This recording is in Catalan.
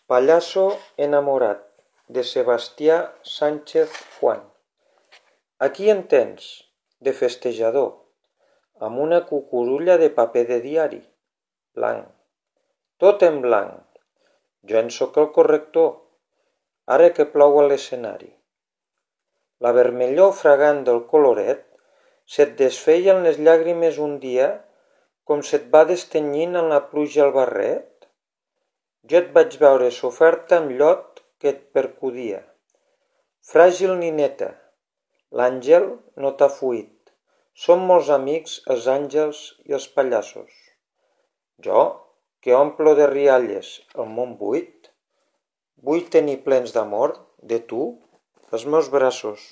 Pallasso enamorat, de Sebastià Sánchez Juan. Aquí en tens, de festejador, amb una cucurulla de paper de diari, blanc, tot en blanc. Jo en sóc el corrector, ara que plou a l'escenari. La vermellor fragant del coloret se't desfeia en les llàgrimes un dia com se't va destenyint en la pluja el barret. Jo et vaig veure soferta amb llot que et percudia. Fràgil nineta, l'àngel no t'ha fuit. Som molts amics els àngels i els pallassos. Jo, que omplo de rialles el món buit, vull tenir plens d'amor, de tu, els meus braços.